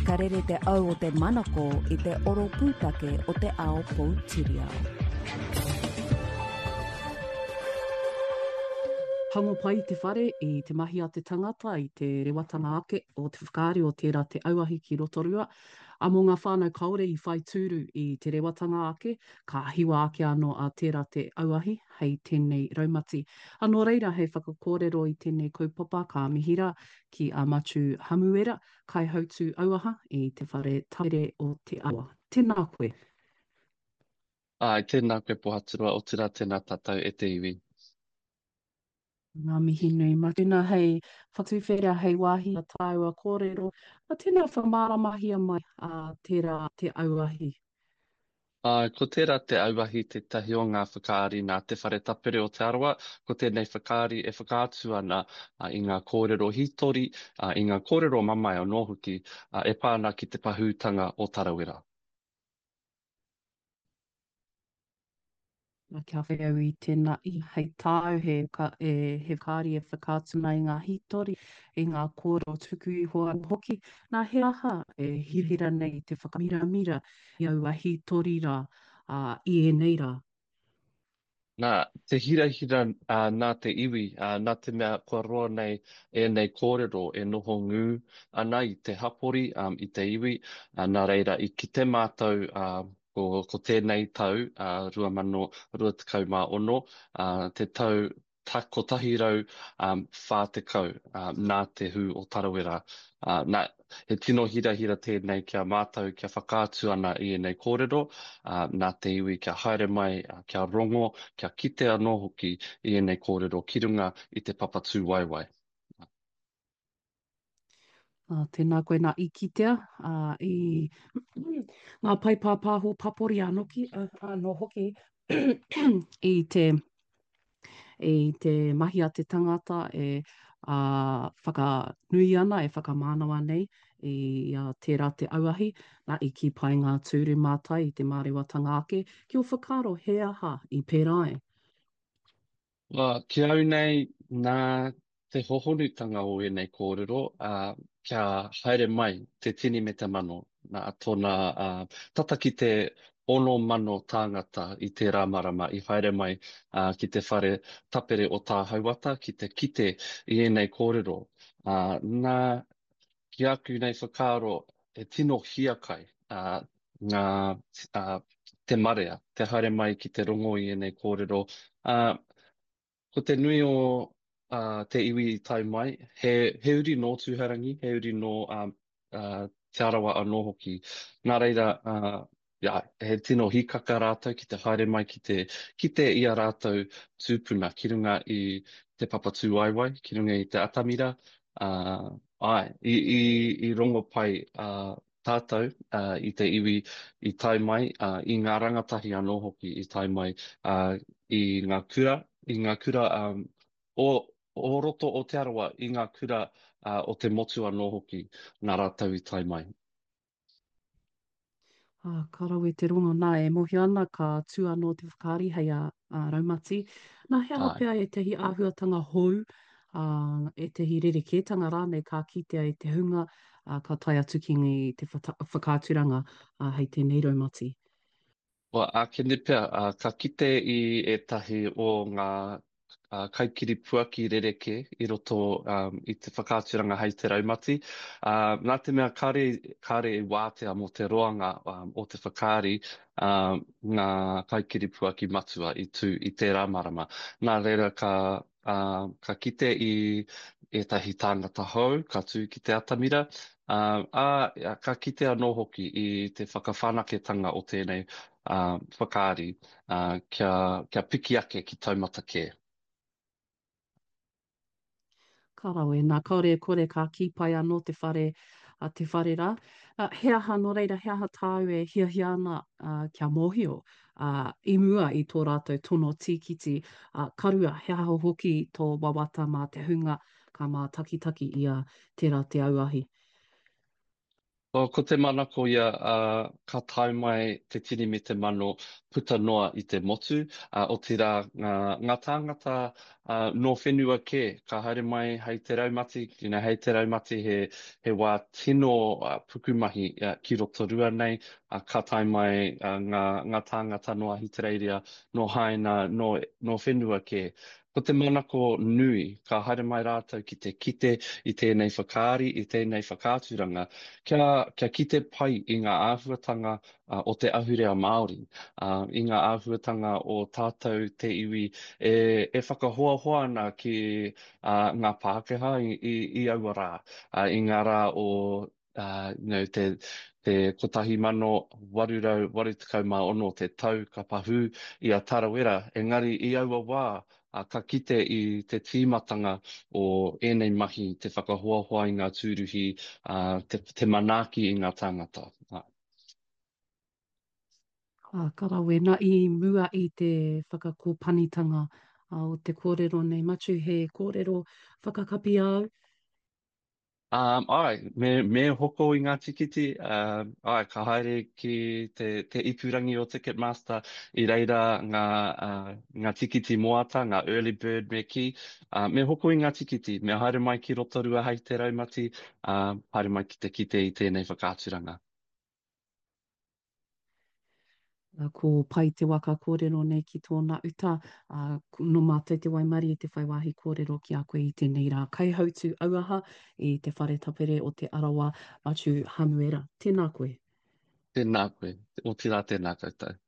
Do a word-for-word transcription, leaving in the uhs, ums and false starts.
Ka rere te au o te manako i te oro pūtake o te ao poutiriao. Tango pai te whare i te mahi a te tangata, i te rewatanga ake o te whakaari o tērā te auahi ki Rotorua. A mō ngā whānau kāore i whai tūru i te rewatanga ake, ka hiwa ake anō a tērā te auahi hei tēnei raumati. A nō reira, hei whakakōrero i tēnei kaupapa ka mihi rā ki a Matiu Hamuera, kaihautū auaha i te whare tapere o Te Arawa. Tēnā koe. Āe, tēnā koe Pohaturoa, otirā tēnā tātou e te iwi. Ngā mihi nui. Mā tēnā hei whakatuwhera, hei wāhi a tāua kōrero, mā tēnā whakamāramahia mai a tērā te auahi. Āe, ko tērā te auahi tētahi o ngā whakaari nā Te Whare Tapere o Te Arawa. Ko tēnei whakaari e whakaatu ana i ngā kōrero hītori, i ngā kōrero mamae anō hoki e pā ana ki te pahūtanga o Tarawera. Na, kia whai au i tēnā i hei tāu he, e, he whakaari e whakaatu ana i ngā hītori, i ngā kōrero tuku iho anō hoki. Nā, he aha e hirahira nei te whakamiramira i aua hītori rā, ā, i ēnei rā? Nā, te hirahira ā, nā te iwi, ā, nā te mea kua roa nei ēnei kōrero e noho ngū ana i te hapori, ā, i te iwi, ā, nā reira i kite mātou, ā, ko, ko tēnei tau, ā, rua mano rua tekau mā ono, ā, te tau ta, kotahi rau, ā, whā tekau, ā, nā te hū o Tarawera. Ā, nā, he tino hirahira tēnei ki a mātou kia whakaatu ana i ēnei kōrero, ā, nā te iwi kia haere mai, ā, kia rongo, kia kite anō hoki i ēnei kōrero ki runga i te papa tūwaewae. Ā, tēnā koe nā i kitea, ā, i ngā pae pāpāho papori anō, anō hoki i te, i te mahi a te tangata e ā, whakanui ana, e whakamānawa nei i a tērā te auahi, nā, i kī pai ngā tūru mātai i te mārewatanga ake, ki ō whakaaro he aha i pērā ai? Ā, ki au nei, nā te hohonutanga o ēnei kōrero, ā, kia haere mai te tini me te mano, nā tōna, ā, tata ki te ono mano tāngata i tērā marama i haere mai, ā, ki te whare tapere o Tāhauata ki te kite i ēnei kōrero. Ā, nā, ki aku nei whakaaro, he tino hiakai, ā, ngā, ā, te marea, te haere mai ki te rongo i ēnei kōrero. Ā, ko te nui o, ā, te iwi i tae mai, he, he uri nō Tūhourangi, he uri nō, ā, ā, Te Arawa anō hoki. Nā reira, ā, ia, he tino hīkaka rātou ki te haere mai ki te kite i a rātou tūpuna ki runga i te papa tūwaewae, ki runga i te atamira, ā, āe, i, i, i rongo pai, ā, tātou, ā, i te iwi i tae mai, ā, i ngā rangatahi anō hoki i tae mai, ā, i ngā kura, i ngā kura, ā, o, o roto o Te Arawa, i ngā kura, ā, o te motu anō hoki, nā rātou i tae mai. Ā, ka rawe te rongo, nā, e mōhio ana ka tū anō te whakaari hei a, a Raumati. Nā, he aha Āe. pea ētahi āhuatanga hou, ā, ētahi rerekētanga rānei ka kitea e te hunga, ā, ka tae atu ki te whakaaturanga, ā, hei tēnei raumati? Well, ākene pea, ā, ka kite i ētahi o ngā kaikiripuaki rerekē i roto i te whakaaturanga hei te raumati. Ā, nā te mea kāre, kāre i wātea mō te roanga o te whakaari, ā, ngā kaikiripuaki matua i tū i tērā marama. Nā reira ka, ā, ka kite i ētahi tāngata hou ka tū ki te atamira, ā, ā, ka kite anō hoki i te whakawhanaketanga o tēnei, ā, whakaari, ā, kia, kia piki ake ki taumata kē. Ka rawe, nā, kāore e kore ka kī pai anō te whare, a te whare rā. Ā, he aha, nō reira, he aha tāu e hiahia ana, ā, kia mōhio, ā, i mua i tō rātou tono tīkiti, ā, ka rua, he aha hoki tō wawata mā te hunga ka mātakitaki i a Tērā Te Auahi? Oh, ko te manako ia, uh, ka tae mai te tini me te mano puta noa i te motu, uh, otirā ngā, ngā tāngata uh, nō whenua kē, ka haere mai hei te raumati, you know, hei te raumati he, he wā tino uh, pukumahi uh, ki Rotorua nei, uh, ka tae mai uh, ngā, ngā tāngata nō Ahitereiria, nō Haina, nō, nō whenua kē. Ko te manako nui, ka haere mai rātou ki te kite i tēnei whakaari, i tēnei whakaaturanga, kia, kia kite pai i ngā āhuatanga uh, o te ahurea Māori, uh, i ngā āhuatanga o tātou te iwi e, e whakahoahoa ana ki uh, ngā Pākehā i, i, i aua rā, uh, i ngā rā o uh, you know, te, te kotahi mano waru rau waru tekau mā ono te tau ka pahū i a Tarawera, engari i aua wā uh, ka kite i te tīmatanga o ēnei mahi, te whakahoahoa i ngā tūruhi, uh, te, te manaaki i ngā tāngata. Uh. Ā, ka rawe. Nā, i mua i te whakakōpanitanga o te kōrero nei, Matiu, he kōrero whakakapi āu? Um, ai, me, me hoko i ngā tikiti, um, ai, ka haere ki te, te ipurangi o Ticketmaster, i reira ngā, uh, ngā tikiti moata, ngā early bird me kī, uh, me hoko i ngā tikiti, me haere mai ki Rotorua hei te raumati, uh, haere mai ki te kite i tēnei whakaaturanga. Ko Pai te waka kōrero nei ki tōna uta, ā, nō mātou te waimarie te whai wāhi kōrero ki a koe i tēnei rā. Kaihautū auaha i te Whare Tapere o Te Arawa, Matiu Hamuera. Tēnā koe. Tēnā koe. Otirā tēnā koutou.